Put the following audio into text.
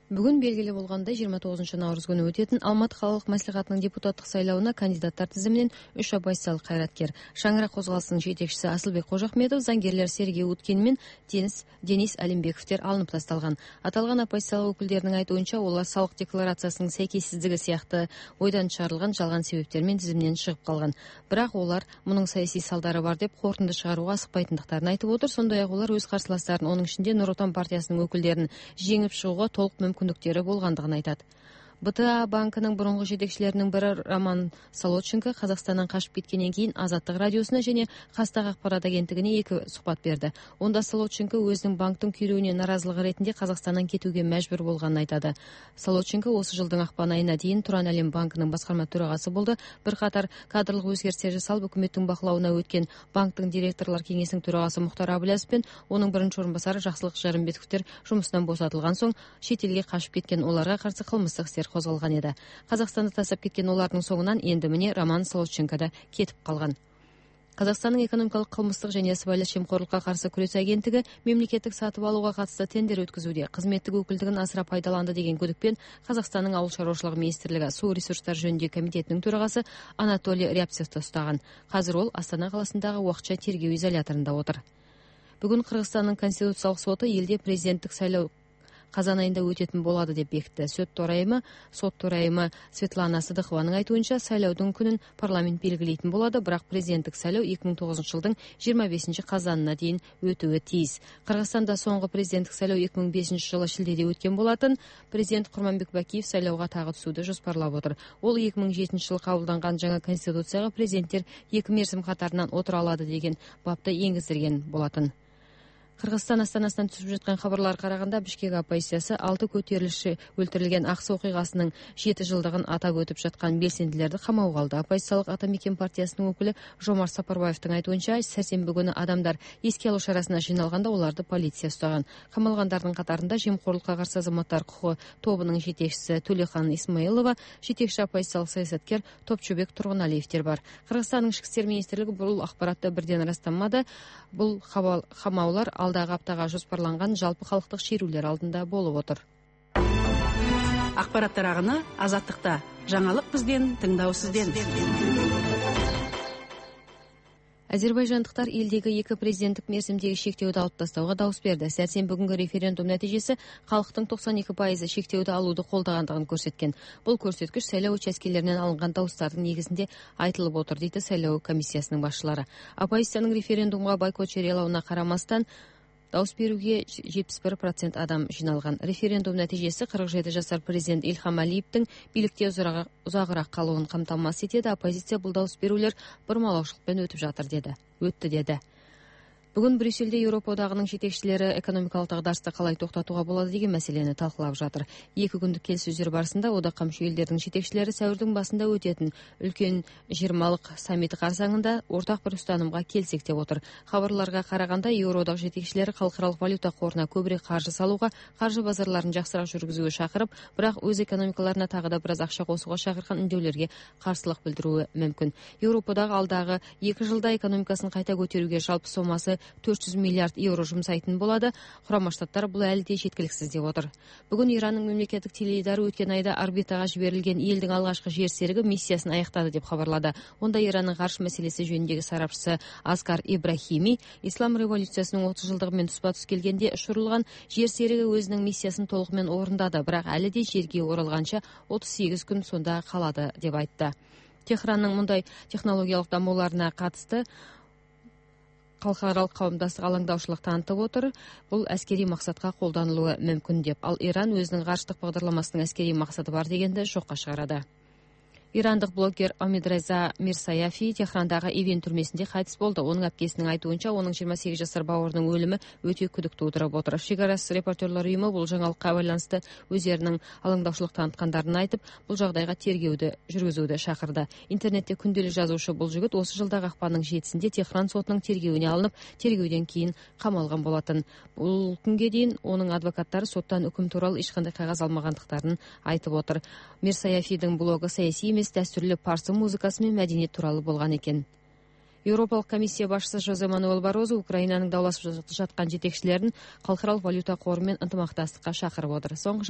Бүгүн белгилүү болгондой 29 күнү өтөтүн Алматы калалык маслихатынын депутаттык сайлауына кандидаттар тизиминен 3 оппозициялык кайраткер Шаңырақ козголосунун жетекчиси Асылбек Кожохметов, заңгерлер Сергей Уткин менен Денис Алимбековдер алынып тасталган. Аталган оппозициялык өкүлдөрдүн айтуунча, олар салык декларациясынын сейкессиздиги сыяктуу ойдан чыгарылган жалган себептер менен тизимден чыгып калган. Бирок олар мунун саясий салдары бар деп корутунду чыгарууга асыкпайтындыктарын айтып отур. Сондай эле олар өз карсыластарын, анын ичинде Нур Отон партиясынын өкүлдөрүн жеңип чыгууга толук мүмкүндүктөрү болгондугун айтат. БТА банкынын мурунку жетекчилеринин бири Роман Солодченко Казакстандан качып кеткенден кийин Азаттык радиосуна және Хастак акпарат агенттигине 2 сухбат берди. Онда Солодченко өзүнүн банктын күйрөөүнө наразылык иретинде Казакстандан кетүүгө мажбур болгонун айтады. Солодченко осы жылдың акпан айына дейин Туран Әлем банкынын башкарма төрагасы болду. Бир катар кадрлык өзгөртүүлөр жасалып, өкмөттүн бакылауына өткөн банктын директорлор кеңесинин төрагасы Мухтар Абылязов менен анын биринчи орун басары Жаксылык Жарымбетовдер жумуштан босотулган соң чет элге качып кеткен оларга каршы кылмыстык иш козголгон эди. Казакстанды тастап кеткен олардын соңунан энди міне Роман Солодченко да кетип калган. Казакстандын экономикалык кылмыстык және сыбайлас жемкорлукка каршы күрөш агенттиги мемлекеттик сатып алууга катысты тендер өткөзүүдө кызметтик өкүлдүгүн асыра пайдаланды деген күдүкпен Казакстандын Ауыл шаруашылыгы министрлиги суу ресурстары жөнүндөгү комитетинин төрагасы Анатолий Рябцевди уштаган. Азыр ол Астана каласындагы убакча тергөө изоляторунда отур. Бүгүн Кыргызстандын Конституциялык соту элде президенттик сайлоо казан айында өтөтүн болду деп бекитти. Сот төрайымы Светлана Сыдыхованын айтуунча, сайлоодун күнүн парламент белгилейтин болду, бирок президенттик сайлоо 2009 жылдын 25 казанына дейин өтүүгө тийиз. Кыргызстанда соңку президенттик сайлоо 2005 жылы шилдеде өткөн болотун. Президент Курманбек Бакиев сайлоого тагы түсүүдү жоспарлап отур. Ол 2007 жылы кабылданган жаңы конституцияга президенттер 2 мерзим катарынан отура алады деген бапты энгиздирген болотун. Кыргызстан астанасынан түшүп жаткан кабарларга караганда, Бишкек оппозициясы 6 көтөрүлүшчү өлтүрүлгөн Аксы окуйгасынын 7 жылдыгын атап өтүп жаткан белсендилерди камауга алды. Оппозициялык Ата Мекен партиясынын өкүлү Жомарт Сапарбаевдин айтуунча, сәрсенбі күнү адамдар эске алуу шарасына жыйналганда оларды полиция устаган. Камалгандардын катарында Жемкорлукка каршы азаматтар кукугу тобунун жетекчиси Төлехан Исмаилова, жетекчи оппозициялык саясаткер Топчубек Тургуналиевдер бар. Кыргызстандын ички иштер министрлиги бул акбаратты бирден ырастамады. Бул камаулар алдагы аптага жоспарланган жалпы калктык шерүүлөр алдында болуп отур. Акпараттар агыны Азаттыкта. Жаңылык бизден, тыңдоо сизден. Азербайжандыктар элдеги 2 президенттик мерзимдеги шектөөдү алып тастауга дауыс берди. Сәрсенбі күнгү референдум нәтижеси калктын 92% шектөөдү алууду колдогондугун көрсөткөн. Бул көрсөткүч шайлоо учаскелеринен алынган дауыстардын негизинде айтылып отур, дейт шайлоо комиссиясынын башчылары. Оппозициянын референдумга бойкот жарыялауына карамастан дауыс берүүгө 71% адам жиналган. Референдум нәтижеси 47 жашар президент Илхам Алиевдин бийликте узагыраак калуун камтамасыз этет. Оппозиция бул дауыс берүүлөр бурмалоочулук менен өттү деди. Бүгүн Брюссельде Европа одагынын жетекчилери экономикалык дагдарышты калай токтотууга болот деген маселени талкуулап жатыр. 2 күндүк келиссөздөр барысында одакка мүчө элдердин жетекчилери сәуүрдүн башында өтөтүн үлкөн 20-лык саммити карсаңында ортак бир устанымга келсек деп отур. Кабарларга караганда, Евроодак жетекчилери калкаралык валюта коруна көбүрөөк каржы салууга, каржы базарларын жакшыраак жүргүзүүгө чакырып, бирок өз экономикаларына тагы да бир аз акча косууга чакырган үндөөлөргө каршылык билдирүүгө мүмкүн. Европадагы алдагы 2 жылда экономикасын кайта көтөрүүгө жалпы сомасы 400 миллиард евро жумсайтын болду. Курама Штаттар бул әлі де жеткиликсиз деп отур. Бүгүн Иранның мемлекеттик теледидары өткен айда орбитага жиберилген элдин алгачкы жер сериги миссиясын аяктады деп кабарлады. Онда Иранның каршы маселеси жөнүндөгү сарапчысы Аскар Ибрахими ислам революциясынын 30 жылдыгы менен туспа-туз келгенде учурулган жер сериги өзүнүн миссиясын толук менен орундады, бирок әлі де жерге оралганча 38 күн сонда калады деп айтты. Техранның мындай технологиялык дамууларына катысты калкаралык кауымдастык алаңдаушылык танытып отур. Бул аскерий максатка колдонулуу мүмкүн деп. Ал Иран өзүнүн карштык багдарламасынын аскерий максаты бар дегенди жокко чыгарады. Ирандык блогер Амидреза Мирсаяфи Техрандагы Ивен түрмесинде кайтыс болду. Онун апкесинин айтуунча, онун 28 жашар бауырынын өлүмү өтө күдүк туудуруп отур. Шигарас репортерлор уюму бул жаңылыкка байланыштуу өздөрүнүн алаңдаушылык таныткандарын айтып, бул жагдайга тергөөдү жүргүзүүгө чакырды. Интернетте күндөлүк жазуучу бул жигит осы жылдагы акпандын 7-синде Техран сотунун тергөөүнө алынып, тергөөдөн кийин камалган болотун. Бул күнгө дейин онун адвокаттары соттан өкүм тууралуу эч кандай кагаз алмагандыктарын айтып отур. Мирсаяфидин блогу саясий эмес, дәстүрлүү парсы музыкасы менен мәдениет тууралуу болгон экен. Европалык комиссия башчысы Жозе Мануэл Барозу Украинанын даулашып жаткан жетекчилерин калкаралык валюта кору менен ынтымакташтыкка чакырып отур. Соңку